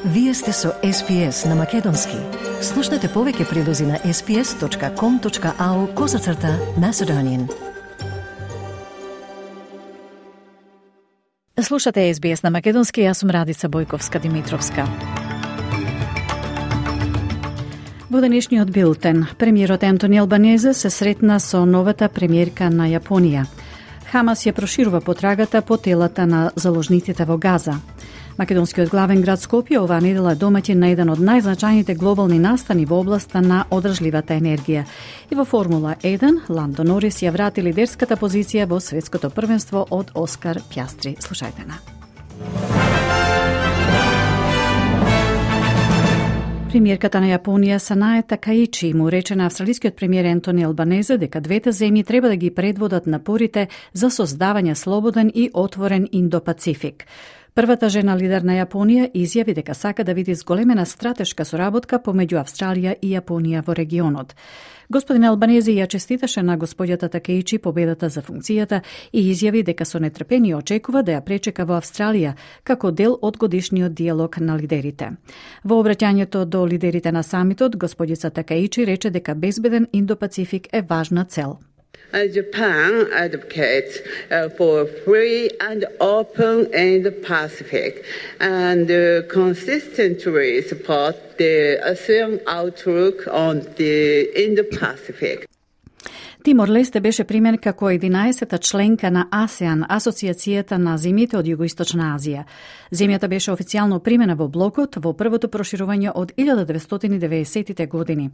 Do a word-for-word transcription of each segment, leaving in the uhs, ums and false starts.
Вие сте со Ес Би Ес на Македонски. Слушнете повеќе прилози на ес би ес точка ком точка ау козацрта Macedonian. Слушате Ес Би Ес на Македонски, јас сум Радица Бојковска-Димитровска. Во денешниот билтен, премиерот Антони Албанезе се сретна со новата премиерка на Јапонија. Хамас ја проширува потрагата по телата на заложниците во Газа. Македонскиот главен град Скопје оваа недела домаќин на еден од најзначајните глобални настани во областа на одржливата енергија. И во Формула еден, Ландо Норис ја врати лидерската позиција во светското првенство од Оскар Пјастри. Слушајте на. Премиерката на Јапонија Санае Такаичи му рече на австралискиот премиер Антони Албанезе дека двете земји треба да ги предводат напорите за создавање слободен и отворен Индо-Пацифик. Првата жена лидер на Јапонија изјави дека сака да види зголемена стратешка соработка помеѓу Австралија и Јапонија во регионот. Господин Албанези ја честиташе на господјата Такеичи победата за функцијата и изјави дека со нетрпение очекува да ја пречека во Австралија како дел од годишниот диалог на лидерите. Во обраќањето до лидерите на самитот, господица Такеичи рече дека безбеден Индо-Пацифик е важна цел. Uh, Japan advocates uh, for free and open Indo-Pacific and uh, consistently support the ASEAN outlook on the Indo-Pacific. Тимор-Лесте беше примен како единаесета членка на АСЕАН, Асоциацијата на земјите од Југоисточна Азија. Земјата беше официјално примена во блокот во првото проширување од илјада деветстотини и деветдесетите години.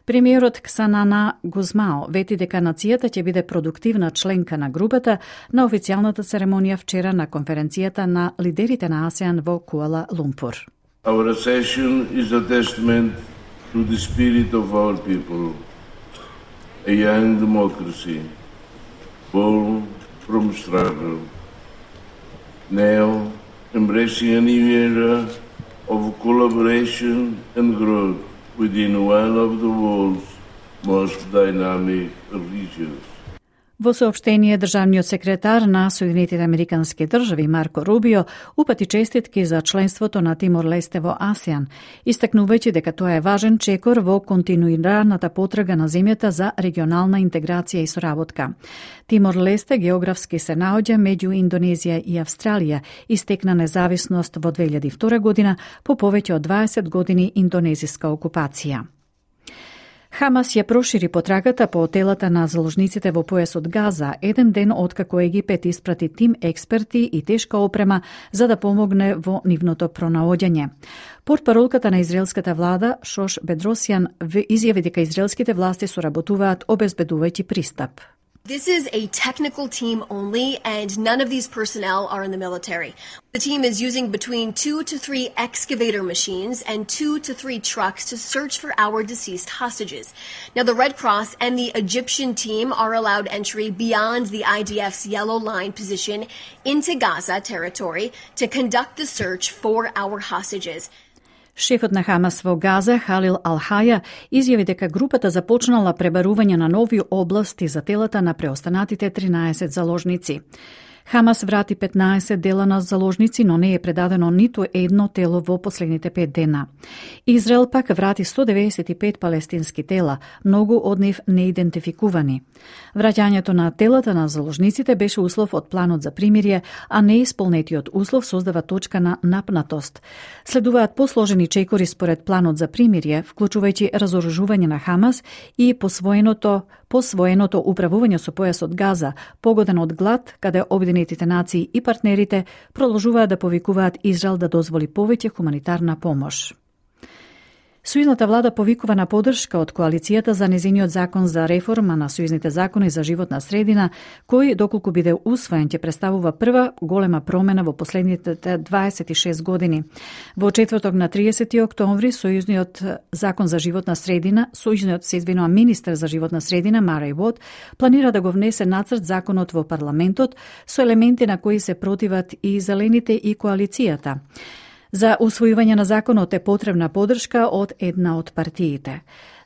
Премиерот Ксанана Гузмао вети дека нацијата ќе биде продуктивна членка на групата на официјалната церемонија вчера на конференцијата на лидерите на АСЕАН во Куала Лумпур. Our session is a testament to the spirit of our people. A young democracy, born from struggle, now embracing a new era of collaboration and growth within one of the world's most dynamic regions. Во соопштение, државниот секретар на Соединетите Американски држави Марко Рубио упати честитки за членството на Тимор-Лесте во АСЕАН, истакнувајќи дека тоа е важен чекор во континуираната потрага на земјата за регионална интеграција и соработка. Тимор-Лесте географски се наоѓа меѓу Индонезија и Австралија и стекна независност во две илјади и втора година по повеќе од дваесет години индонезиска окупација. Хамас ја прошири потрагата по телата на заложниците во појасот Газа, еден ден откако Египет испрати тим експерти и тешка опрема за да помогне во нивното пронаоѓање. Портпаролката на израелската влада Шош Бедросјан изјави дека израелските власти соработуваат обезбедувајќи пристап. This is a technical team only, and none of these personnel are in the military. The team is using between two to three excavator machines and two to three trucks to search for our deceased hostages. Now, the Red Cross and the Egyptian team are allowed entry beyond the I D F's yellow line position into Gaza territory to conduct the search for our hostages. Шефот на Хамас во Газа, Халил Ал-Хаја, изјави дека групата започнала пребарување на нови области за телата на преостанатите тринаесет заложници. Хамас врати петнаесет дела на заложници, но не е предадено ниту едно тело во последните пет дена. Израел пак врати сто деветдесет и пет палестински тела, многу од нив неидентификувани. Враќањето на телата на заложниците беше услов од планот за примирие, а неисполнетиот услов создава точка на напнатост. Следуваат посложени чекори според планот за примирие, вклучувајќи разоружување на Хамас и посвоеното посвоеното управување со појасот Газа, погоден од глад, каде Обединетите нации и партнерите продолжуваат да повикуваат Израел да дозволи повеќе хуманитарна помош. Сојузната влада повикува на поддршка од коалицијата за незиниот закон за реформа на сојузните закони за животна средина, кој, доколку биде усвоен, ќе представува прва голема промена во последните дваесет и шест години. Во четврток на тридесети октомври, сојузниот закон за животна средина, сојузниот се извинува министер за животна средина Мареј Вод, планира да го внесе нацрт законот во парламентот со елементи на кои се противат и зелените и коалицијата. За усвојување на законот е потребна поддршка од една од партиите.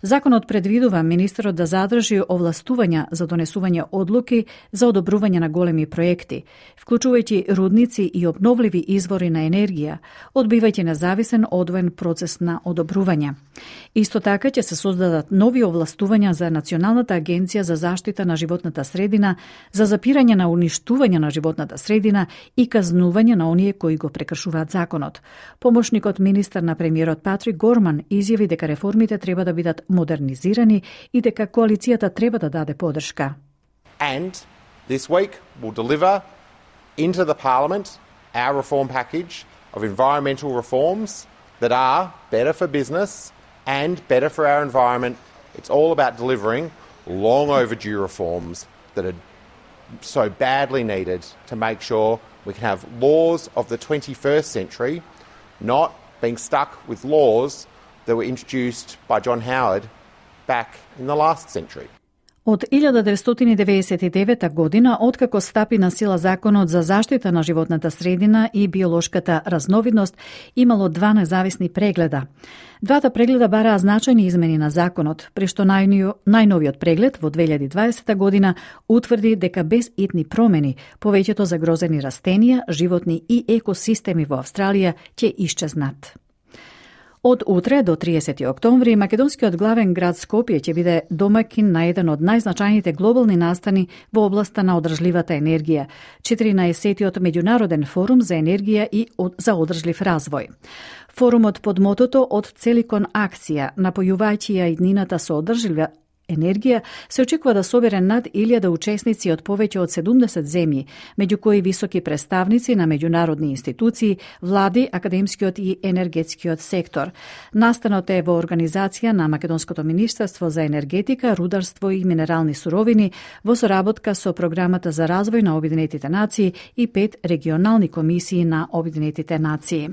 Законот предвидува министерот да задржи овластувања за донесување одлуки за одобрување на големи проекти, вклучувајќи рудници и обновливи извори на енергија, одбивајќи независен одвоен процес на одобрување. Исто така ќе се создадат нови овластувања за Националната агенција за заштита на животната средина за запирање на уништување на животната средина и казнување на оние кои го прекршуваат законот. Помошникот министар на премиерот Патрик Горман изјави дека реформите треба да бидат модернизирани и дека коалицијата треба да даде поддршка. And this week we'll deliver into the Parliament our reform package of environmental reforms that are better for business and better for our environment. It's all about delivering long overdue reforms that are so badly needed to make sure we can have laws of the twenty-first century, not being stuck with laws that were introduced by John Howard back in the last century. Од илјада деветстотини деветдесет и девета година, откако стапи на сила Законот за заштита на животната средина и биолошката разновидност, имало два независни прегледа. Двата прегледа бараа значајни измени на законот, при што најновиот преглед во две илјади и дваесета година утврди дека без итни промени повеќето загрозени растенија, животни и екосистеми во Австралија ќе исчезнат. Од утре до триесети октомври македонскиот главен град Скопје ќе биде домакин на еден од најзначајните глобални настани во областа на одржливата енергија, четиринаесеттиот меѓународен форум за енергија и за одржлив развој. Форумот под мотото од цели кон акција, напојувајќи ја иднината со одржлива енергија, се очекува да собере над илјада учесници од повеќе од седумдесет земји, меѓу кои високи представници на меѓународни институции, влади, академскиот и енергетскиот сектор. Настанот е во организација на Македонското министерство за енергетика, рударство и минерални суровини во соработка со Програмата за развој на Обединетите нации и пет регионални комисии на Обединетите нации.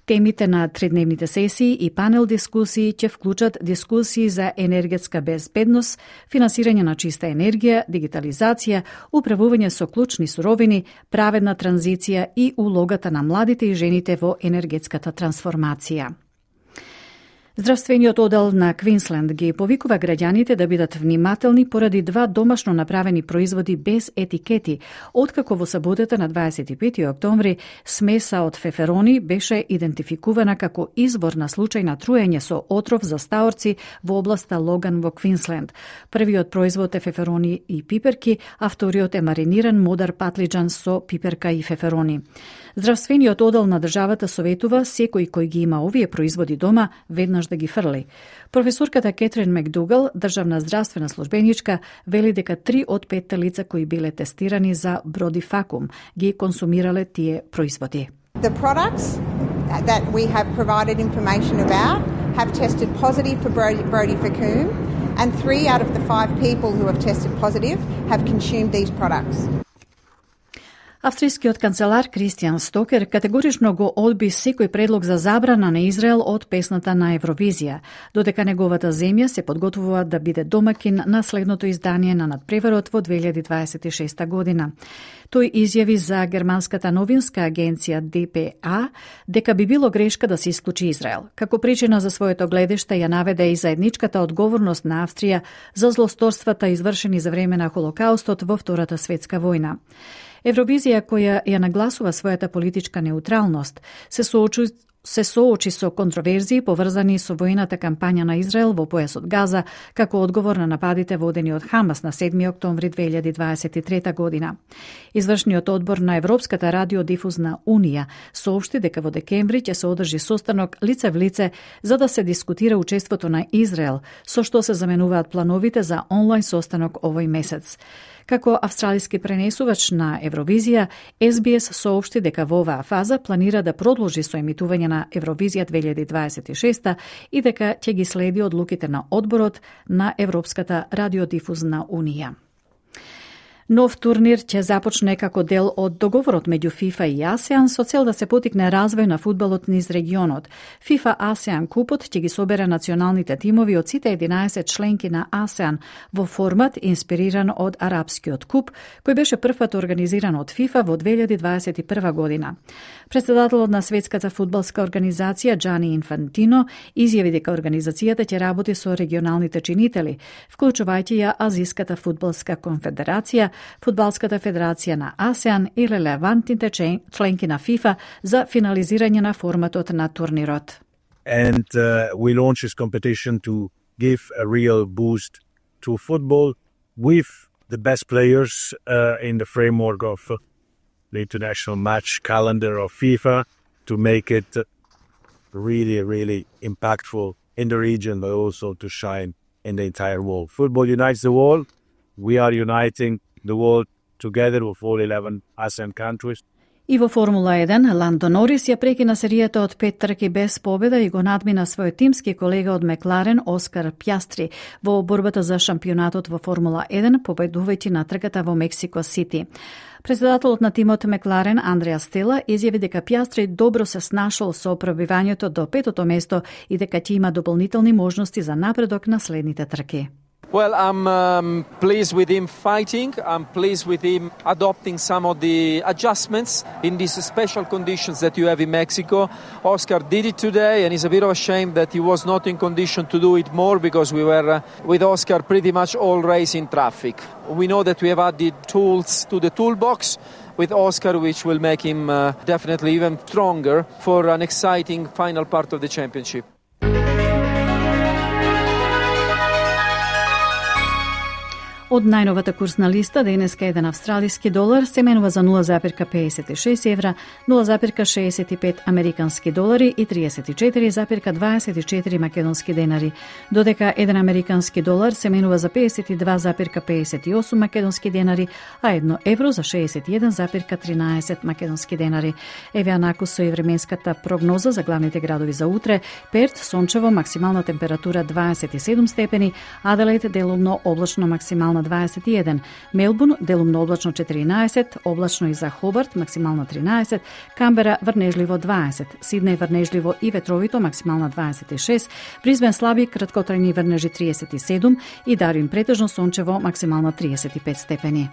Темите на тридневните сесии и панел дискусии ќе вклучат дискусии за енергетска безбедност, финансирање на чиста енергија, дигитализација, управување со клучни суровини, праведна транзиција и улогата на младите и жените во енергетската трансформација. Здравствениот одел на Квинсленд ги повикува граѓаните да бидат внимателни поради два домашно направени производи без етикети, откако во саботата на дваесет и пети октомври смеса од феферони беше идентификувана како извор на случај на труење со отров за стаорци во областа Логан во Квинсленд. Првиот производ е феферони и пиперки, а вториот е мариниран модар патлиџан со пиперка и феферони. Здравствениот одел на државата советува секој кој ги има овие производи дома веднаш да ги фрли. Професорката Кетрин Макдугал, државна здравствена службеничка, вели дека три од петте лица кои биле тестирани за бродифакум ги консумирале тие производи. The products that we have provided information about have tested positive for brodifacoum, and three out of the five people who have tested positive have consumed these products. Австрискиот канцелар Кристијан Стокер категорично го одби секој предлог за забрана на Израел од песната на Евровизија, додека неговата земја се подготвува да биде домакин на следното издание на надпреварот во две илјади дваесет и шеста година. Тој изјави за германската новинска агенција Д П А дека би било грешка да се исклучи Израел. Како причина за своето гледиште ја наведе и заедничката одговорност на Австрија за злосторствата извршени за време на Холокаустот во Втората светска војна. Евровизија, која ја нагласува својата политичка неутралност, се соочи, се соочи со контроверзии поврзани со војната кампања на Израел во појасот Газа, како одговор на нападите водени од Хамас на седми октомври две илјади дваесет и трета година. Извршниот одбор на Европската радиодифузна унија соопшти дека во декември ќе се одржи состанок лице в лице за да се дискутира учеството на Израел, со што се заменуваат плановите за онлайн состанок овој месец. Како австралиски пренесувач на Евровизија, Ес Би Ес соопшти дека во оваа фаза планира да продолжи со емитување на Евровизија две илјади дваесет и шеста и дека ќе ги следи одлуките на одборот на Европската радиодифузна унија. Нов турнир ќе започне како дел од договорот меѓу ФИФА и АСЕАН со цел да се потикне развој на фудбалот низ регионот. ФИФА АСЕАН купот ќе ги собере националните тимови од сите единаесет членки на АСЕАН во формат инспириран од арапскиот куп, кој беше првпат организиран од ФИФА во две илјади дваесет и прва година. Председателот на Светската фудбалска организација Џани Инфантино изјави дека организацијата ќе работи со регионалните чинители, вклучувајќи ја Азиската фудбалска конфедерација, Фудбалската федерација на АСЕАН и релевантните членки на ФИФА за финализирање на форматот на турнирот. And uh, we launch this competition to give a real boost to football with the best players uh, in the framework of uh, the international match calendar of FIFA to make it really, really impactful in the region, but also to shine in the entire world. Football unites the world. We are uniting the world together with all eleven ASEAN countries. И во Формула еден, Ландо Норис ја прекина серијата од пет трки без победа и го надмина својот тимски колега од Мекларен Оскар Пјастри во борбата за шампионатот во Формула еден, победувајќи на трката во Мексико Сити. Председателот на тимот Мекларен Андреа Стела изјави дека Пјастри добро се снашол со пробивањето до петото место и дека ќе има дополнителни можности за напредок на следните трки. Well, I'm um, pleased with him fighting. I'm pleased with him adopting some of the adjustments in these special conditions that you have in Mexico. Oscar did it today, and it's a bit of a shame that he was not in condition to do it more because we were, uh, with Oscar, pretty much all race in traffic. We know that we have added tools to the toolbox with Oscar, which will make him uh, definitely even stronger for an exciting final part of the championship. Од најновата курсна листа, денеска еден австралиски долар се менува за нула запир педесет и шест евра, нула запир шеесет и пет американски долари и триесет и четири запир дваесет и четири македонски денари, додека еден американски долар се менува за педесет и два запир педесет и осум македонски денари, а едно евро за шеесет и еден запир тринаесет македонски денари. Еве анаку со и временската прогноза за главните градови за утре: Перт сончево, максимална температура дваесет и седум степени, Аделаид делумно облачно, максимална дваесет и еден, Мелбурн делумно облачно четиринаесет, облачно и за Хобарт максимално тринаесет, Камбера врнежливо дваесет, Сиднеј врнежливо и ветровито максимална дваесет и шест, Бризбен слаби краткотрајни врнежи триесет и седум и Дарвин претежно сончево максимална триесет и пет степени.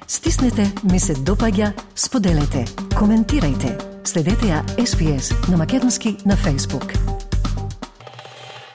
Стиснете, ми се допаѓа, споделете, коментирајте. Следете ја Ес Би Ес на македонски на Facebook.